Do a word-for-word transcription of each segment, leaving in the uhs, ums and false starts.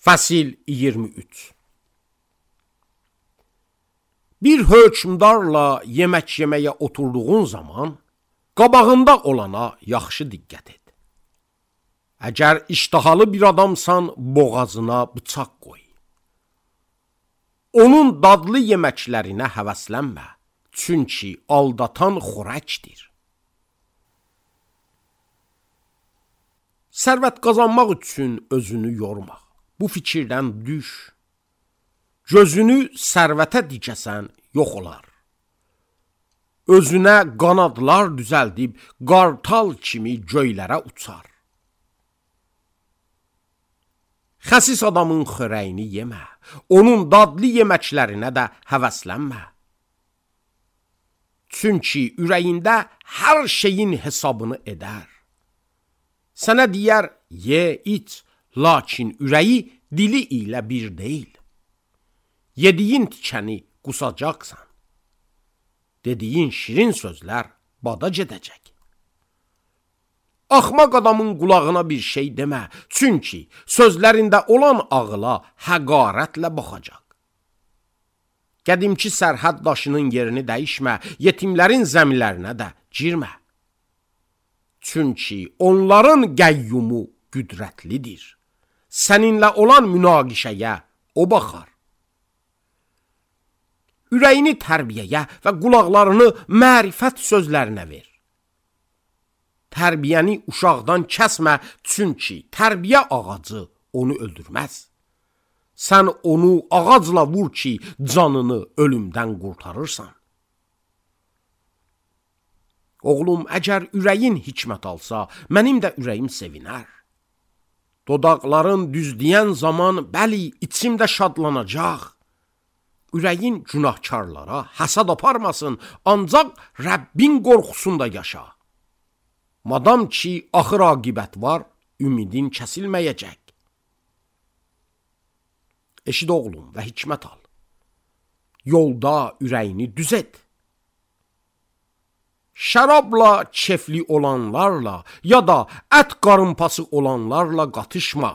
Fəsil iyirmi üç. Bir hökmdarla yemək yeməyə oturduğun zaman, qabağında olana yaxşı diqqət et. Əgər iştahalı bir adamsan, boğazına bıçaq qoy. Onun dadlı yeməklərinə həvəslənmə, çünki aldatan xorəkdir. Sərvət qazanmaq üçün özünü yorma. Bu fikirdən düş. Gözünü sərvətə dikəsən, yox olar. Özünə qanadlar düzəldib, qartal kimi göylərə uçar. Xəsis adamın xörəyini yemə, onun dadlı yeməklərinə də həvəslənmə. Çünki ürəyində hər şeyin hesabını edər. Sənə deyər, ye, iç, lakin ürəyi dili ilə bir deyil. Yediyin tikəni qusacaqsan. Dediyin şirin sözlər bada gedəcək. Axmaq adamın qulağına bir şey demə, çünki sözlərində olan ağıla həqarətlə baxacaq. Qədimki sərhəd daşının yerini dəyişmə, yetimlərin zəmilərinə də girmə. Çünki onların qəyyumu qüdrətlidir. Səninlə olan münaqişəyə o baxar. Ürəyini tərbiyəyə və qulaqlarını mərifət sözlərinə ver. Tərbiyəni uşaqdan kəsmə, çünki tərbiyə ağacı onu öldürməz. Sən onu ağacla vur ki, canını ölümdən qurtarırsan. Oğlum, əgər ürəyin hikmət alsa, mənim də ürəyim sevinər. Dodaqların düzləyən zaman, bəli, içim də şadlanacaq. Ürəyin günahkarlara həsad aparmasın, ancaq Rəbbin qorxusunda yaşa. Madam ki, axır aqibət var, ümidin kəsilməyəcək. Eşid oğlum və hikmət al. Yolda ürəyini düz et. Şərabla kefli olanlarla ya da ət qarınpası olanlarla qatışma.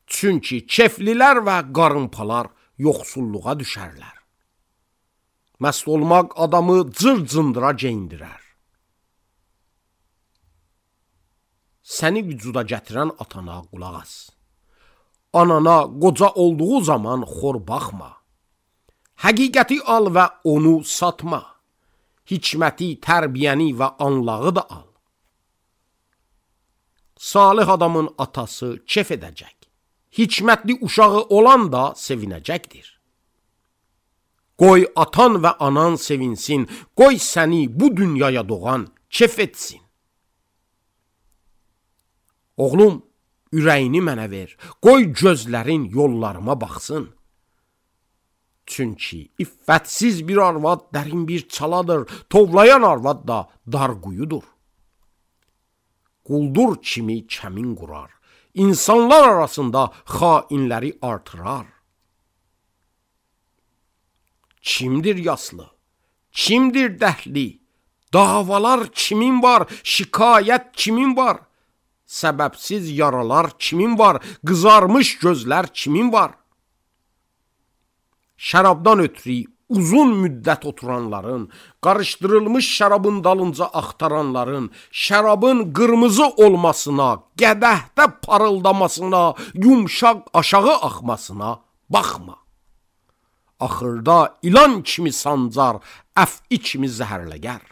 Çünki keflilər və qarınpalar yoxsulluğa düşərlər. Məst olmaq adamı cır-cındıra geyindirər. Səni vücuda gətirən atana qulaq as. Anana qoca olduğu zaman xor baxma. Həqiqəti al və onu satma. Hikməti, tərbiyəni və anlağı da al. Salih adamın atası kef edəcək. Hikmətli uşağı olan da sevinəcəkdir. Qoy atan və anan sevinsin, qoy səni bu dünyaya doğan kef etsin. Oğlum, ürəyini mənə ver, qoy gözlərin yollarıma baxsın. Çünki iffətsiz bir arvad dərin bir çaladır, tovlayan arvad da dar quyudur. Quldur kimi kəmin qurar, insanlar arasında xainləri artırar. Kimdir yaslı, kimdir dəhli, davalar kimin var, şikayət kimin var, səbəbsiz yaralar kimin var, qızarmış gözlər kimin var? Şərabdan ötürü uzun müddət oturanların, qarışdırılmış şərabın dalınca axtaranların, şərabın qırmızı olmasına, qədəhdə parıldamasına, yumşaq aşağı axmasına baxma. Axırda ilan kimi sancar, əf'i kimi zəhərləgər.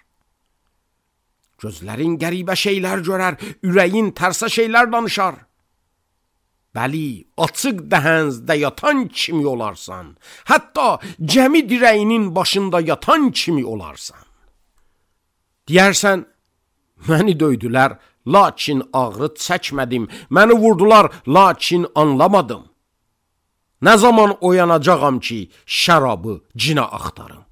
Gözlərin qəribə şeylər görər, ürəyin tərsə şeylər danışar. Bəli, açıq dəhənzdə yatan kimi olarsan, hətta gəmi dirəyinin başında yatan kimi olarsan. Deyərsən, məni döydülər, lakin ağrı çəkmədim, məni vurdular, lakin anlamadım. Nə zaman oyanacağam ki, şərabı cinə axtarım?